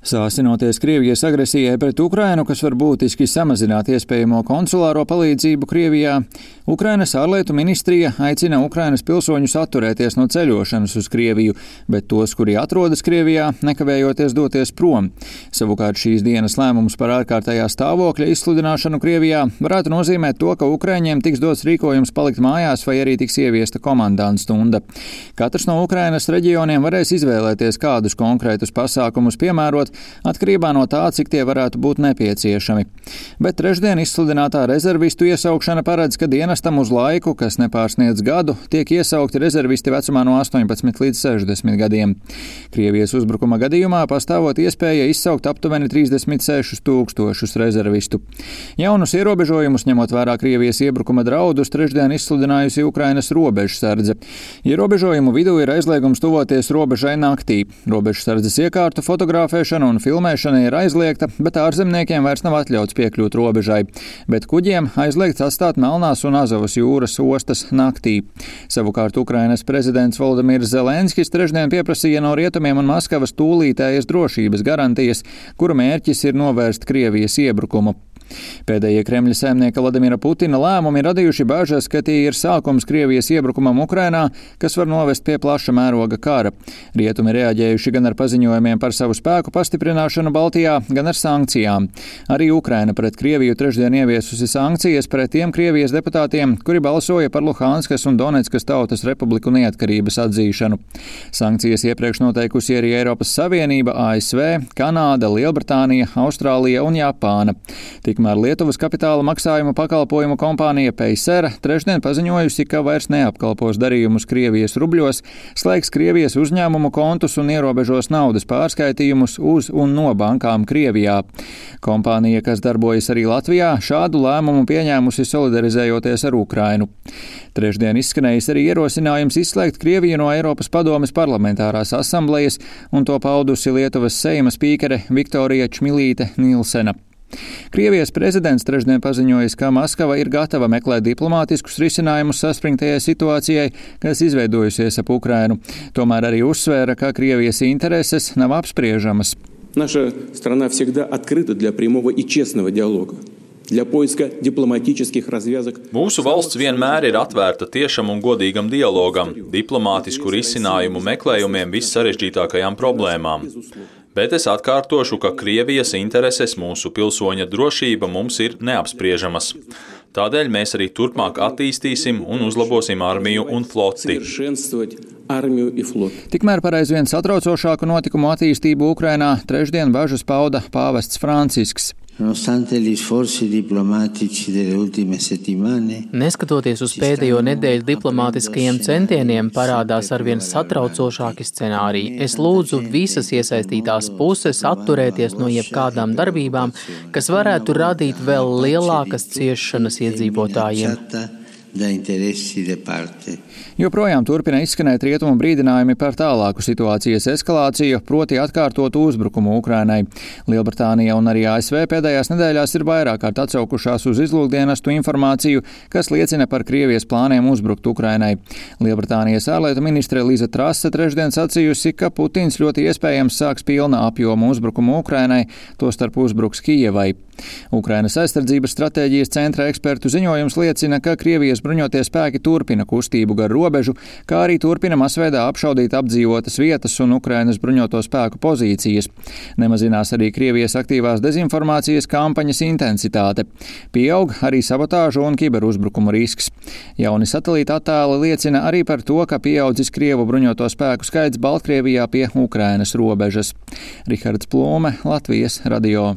Sāsinoties Krievijas agresijai pret Ukrainu, kas var būtiski samazināt iespējamo konsulāro palīdzību Krievijā, Ukrainas ārlietu ministrija aicina Ukrainas pilsoņus atturēties no ceļošanas uz Krieviju, bet tos, kuri atrodas Krievijā, nekavējoties doties prom. Savukārt šīs dienas lēmums par ārkārtējā stāvokļa izsludināšanu Krievijā varētu nozīmēt to, ka Ukraiņiem tiks dots rīkojums palikt mājās vai arī tiks ieviesta komandanta stunda. Katrs no Ukrainas reģioniem varēs izvēlēties, kādus konkrētus pasākumus piemērot, atkarībā no tā, cik tie varētu būt nepieciešami. Bet trešdien izsludinātā rezervistu iesaukšana paredz, ka dienestam uz laiku, kas nepārsniedz gadu, tiek iesaukti rezervisti vecumā no 18 līdz 60 gadiem. Krievijas uzbrukuma gadījumā pastāvot iespēja izsaukt aptuveni 36 000 rezervistu. Jaunus ierobežojumus, ņemot vērā Krievijas iebrukuma draudus, trešdien izsludinājusi Ukrainas robežsardze. Ierobežojumu vidū ir aizliegums tuvoties robežai naktī. Robežsardzes iekārtu fotografēšana un filmēšana ir aizliegta, bet ārzemniekiem vairs nav atļauts piekļūt robežai. Bet kuģiem aizliegts atstāt Melnās un Azovas jūras ostas naktī. Savukārt Ukrainas prezidents Volodimirs Zelenskis trešdien pieprasīja no Rietumiem un Maskavas tūlītējas drošības garantijas, kuru mērķis ir novērst Krievijas iebrukumu. Pēdējie Kremļa saimnieka Vladimira Putina lēmumi radījuši bažas, ka tie ir sākums Krievijas iebrukumam Ukrainā, kas var novest pie plaša mēroga kara. Rietumi reaģējuši gan ar paziņojumiem par savu spēku pastiprināšanu Baltijā, gan ar sankcijām. Arī Ukraina pret Krieviju trešdien ieviesusi sankcijas pret tiem Krievijas deputātiem, kuri balsoja par Luhanskas un Donetskas tautas republiku neatkarības atzīšanu. Sankcijas iepriekš noteikusi arī Eiropas Savienība, ASV, Kanāda, Lielbritānija, Austrālija un Japāna. Tikmēr Lietuvas kapitāla maksājumu pakalpojumu kompānija Paysera trešdien paziņojusi, ka vairs neapkalpos darījumus Krievijas rubļos, slēgs Krievijas uzņēmumu kontus un ierobežos naudas pārskaitījumus uz un no bankām Krievijā. Kompānija, kas darbojas arī Latvijā, šādu lēmumu pieņēmusi solidarizējoties ar Ukrainu. Trešdien izskanējis arī ierosinājums izslēgt Krieviju no Eiropas padomes parlamentārās asamblejas, un to paudusi Lietuvas Seima spīkere Viktorija Čmilīte Nilsena. Krievijas prezidents trešdien paziņojis, ka Maskava ir gatava meklēt diplomātiskus risinājumus saspringtajai situācijai, kas izveidojusies ap Ukrainu. Tomēr arī uzsvēra, ka Krievijas intereses nav apspriežamas. Наша страна всегда открыта для прямого и честного диалога. Mūsu valsts vienmēr ir atvērta tiešam un godīgam dialogam, diplomātisku risinājumu meklējumiem vissarežģītākajām problēmām. Bet es atkārtošu, ka Krievijas intereses, mūsu pilsoņa drošība mums ir neapspriežamas. Tādēļ mēs arī turpmāk attīstīsim un uzlabosim armiju un floti. Tikmēr par aizvien satraucošāku notikumu attīstību Ukrainā trešdien bažas pauda pāvests Francisks. Neskatoties uz pēdējo nedēļu diplomātiskajiem centieniem, parādās arvien satraucošāki scenāriji. Es lūdzu visas iesaistītās puses atturēties no jebkādām darbībām, kas varētu radīt vēl lielākas ciešanas iedzīvotājiem. Joprojām turpina izskanēt rietumu brīdinājumi par tālāku situācijas eskalāciju, proti atkārtotu uzbrukumu Ukrainai. Lielbritānija un arī ASV pēdējās nedēļās ir vairāk kārt atsaukušās uz izlūkdienestu informāciju, kas liecina par Krievijas plāniem uzbrukt Ukrainai. Lielbritānijas ārlietu ministre Liza Trase trešdien sacījusi, ka Putins ļoti iespējams sāks pilna apjoma uzbrukumu Ukrainai, tostarp uzbruks Kijevai. Ukrainas aizsardzības stratēģijas centra ekspertu ziņojums liecina, ka Krievijas bruņotie spēki turpina kustību gar robežu, kā arī turpina masveidā apšaudīt apdzīvotas vietas un Ukrainas bruņoto spēku pozīcijas. Nemazinās arī Krievijas aktīvās dezinformācijas kampaņas intensitāte. Pieaug arī sabotāžu un kiberuzbrukumu risks. Jauni satelīta attēli liecina arī par to, ka pieaudzis Krievu bruņoto spēku skaits Baltkrievijā pie Ukrainas robežas. Rihards Plūme, Latvijas radio.